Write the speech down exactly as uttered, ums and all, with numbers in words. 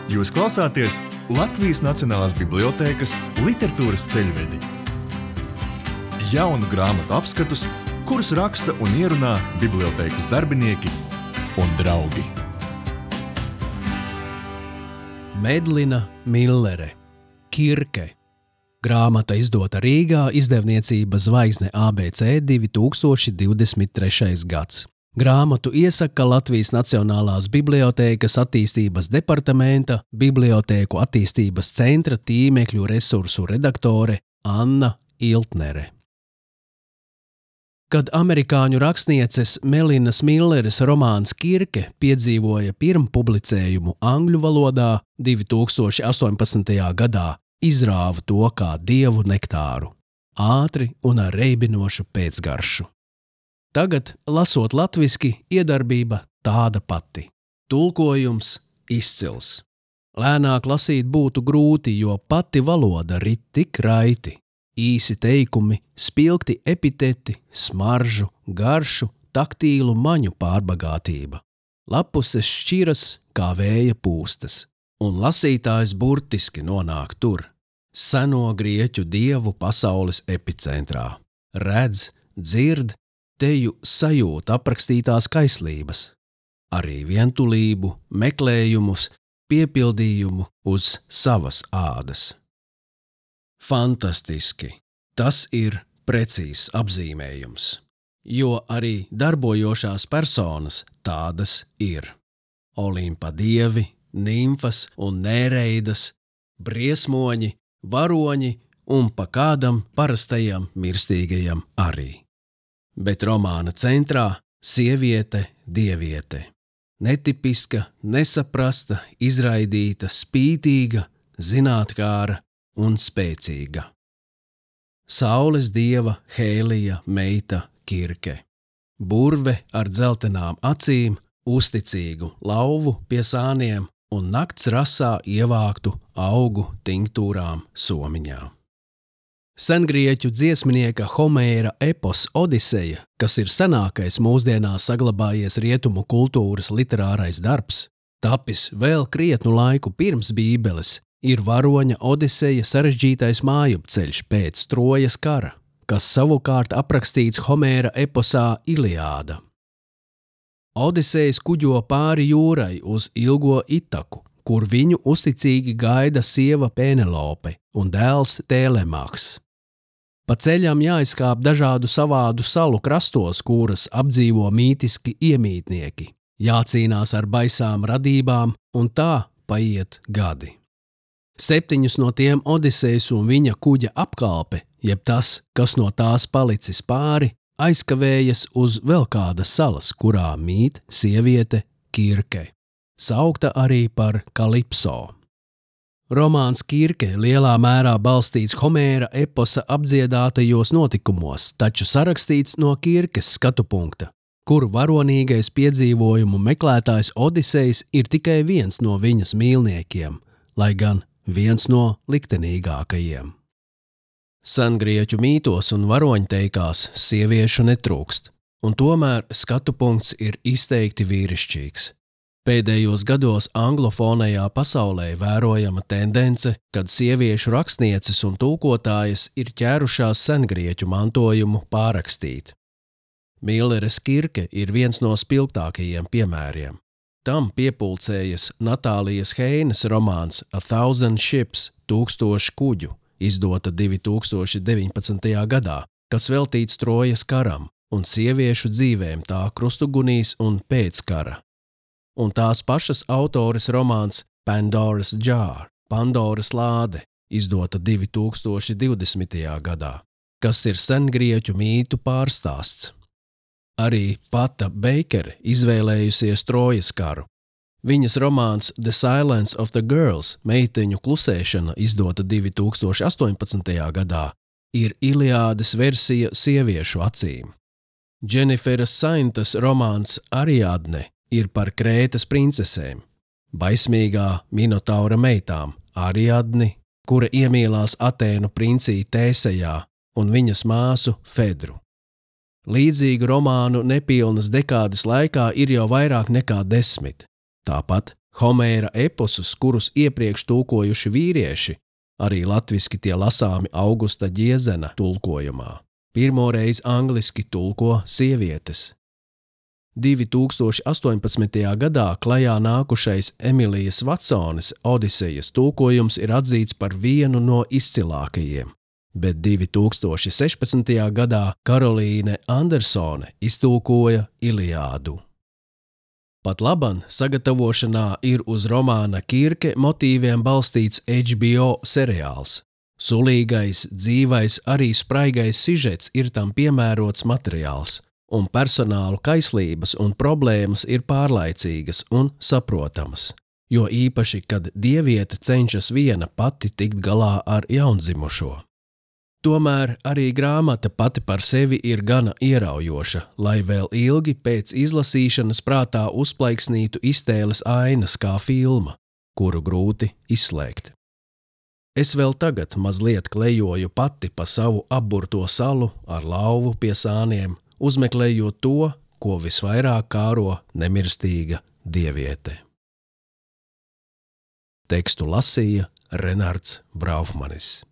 Jūs klausāties Latvijas Nacionālās bibliotēkas literatūras ceļvedi. Jaunu grāmatu apskatus, kurus raksta un ierunā bibliotēkas darbinieki un draugi. Medlina Millere, Kirke. Grāmata izdota Rīgā, izdevniecība Zvaigzne A B C divi tūkstoši divdesmit trešais gads. Grāmatu iesaka Latvijas Nacionālās bibliotēkas attīstības departamenta Bibliotēku attīstības centra tīmekļu resursu redaktore Anna Iltnere. Kad amerikāņu rakstnieces Melinas Milleres romāns Kirke piedzīvoja pirmpublicējumu angļu valodā divi tūkstoši astoņpadsmitajā gadā, izrāva to kā dievu nektāru, ātri un ar reibinošu pēcgaršu. Tagad, lasot latviski, iedarbība tāda pati. Tulkojums izcils. Lēnāk lasīt būtu grūti, jo pati valoda rit tik raiti. Īsi teikumi, spilgti epiteti, smaržu, garšu, taktīlu maņu pārbagātība. Lapuses šķiras kā vēja pūstas, un lasītājs burtiski nonāk tur, seno grieķu dievu pasaules epicentrā. Redz, dzird, teju sajūt aprakstītās kaislības, arī vientulību, meklējumus, piepildījumu uz savas ādas. Fantastiski! Tas ir precīzs apzīmējums, jo arī darbojošās personas tādas ir. Olimpa dievi, nimfas un nēreidas, briesmoņi, varoņi un pa kādam parastajam mirstīgajam arī. Bet romāna centrā sieviete, dieviete. Netipiska, nesaprasta, izraidīta, spītīga, zinātkāra un spēcīga. Saules dieva Hēlija meita Kirke. Burve ar dzeltenām acīm, uzticīgu lauvu pie sāniem un nakts rasā ievāktu augu tinktūrām somiņā. Sengrieķu dziesminieka Homēra epos Odiseja, kas ir senākais mūsdienās saglabājies rietumu kultūras literārais darbs, tapis vēl krietnu laiku pirms Bībeles, ir varoņa Odiseja sarežģītais mājupceļš pēc Trojas kara, kas savukārt aprakstīts Homēra eposā Iliāda. Odisejs kuģo pāri jūrai uz ilgo Itaku, kur viņu uzticīgi gaida sieva Penelope un dēls Tēlemaks. Pa ceļam jāizkāp dažādu savādu salu krastos, kuras apdzīvo mītiski iemītnieki, jācīnās ar baisām radībām un tā paiet gadi. Septiņus no tiem Odisejs un viņa kuģa apkalpe, jeb tas, kas no tās palicis pāri, aizkavējas uz vēl kādas salas, kurā mīt sieviete Kirke, saukta arī par Kalipso. Romāns Kirke lielā mērā balstīts Homēra eposa apdziedātajos notikumos, taču sarakstīts no Kirkes skatu punkta, kur varonīgais piedzīvojumu meklētājs Odisejs ir tikai viens no viņas mīlniekiem, lai gan viens no liktenīgākajiem. Sengrieķu mītos un varoņteikās sieviešu netrūkst, un tomēr skatu punkts ir izteikti vīrišķīgs. Pēdējos gados anglofonajā pasaulē vērojama tendence, kad sieviešu rakstnieces un tulkotājas ir ķērušās sengrieķu mantojumu pārrakstīt. Milleres Kirke ir viens no spilgtākajiem piemēriem. Tam piepulcējas Natālijas Heinas romāns A Thousand Ships, tūkstoši kuģu, izdota divi tūkstoši deviņpadsmitajā gadā, kas veltīts Trojas karam un sieviešu dzīvēm tā krustugunīs un pēc kara. Un tās pašas autores romāns Pandora's Jar, Pandoras lāde, izdota divi tūkstoši divdesmitajā gadā, kas ir sengrieķu mītu pārstāsts. Arī Pata Beikere izvēlējusies Trojas karu. Viņas romāns The Silence of the Girls, meiteņu klusēšana, izdota divi tūkstoši astoņpadsmitajā gadā, ir Iliādes versija sieviešu acīm. Dženiferas Saintas romāns Ariadne ir par Krētas princesēm, baismīgā Minotaura meitām Ariadni, kura iemīlās Atēnu princī Tēsejā un viņas māsu Fedru. Līdzīgu romānu nepilnas dekādes laikā ir jau vairāk nekā desmit. Tāpat Homēra eposus, kurus iepriekš tulkojuši vīrieši, arī latviski tie lasāmi Augusta Ģiezena tulkojumā. Pirmoreiz angliski tulko sievietes. divi tūkstoši astoņpadsmitajā gadā klajā nākušais Emilijas Vatsones Odisejas tulkojums ir atzīts par vienu no izcilākajiem, bet divi tūkstoši sešpadsmitajā gadā Karolīne Andersone iztulkoja Iliādu. Pat laban sagatavošanā ir uz romāna Kirke motīviem balstīts H B O seriāls. Sulīgais, dzīvais, arī spraigais sižets ir tam piemērots materiāls, un personālu kaislības un problēmas ir pārlaicīgas un saprotamas, jo īpaši, kad dieviete cenšas viena pati tikt galā ar jaundzimušo. Tomēr arī grāmata pati par sevi ir gana ieraujoša, lai vēl ilgi pēc izlasīšanas prātā uzplaiksnītu iztēles ainas kā filma, kuru grūti izslēgt. Es vēl tagad mazliet klejoju pati pa savu apburto salu ar lauvu pie sāniem, uzmeklējot to, ko visvairāk kāro nemirstīga dieviete. Tekstu lasīja Renards Braufmanis.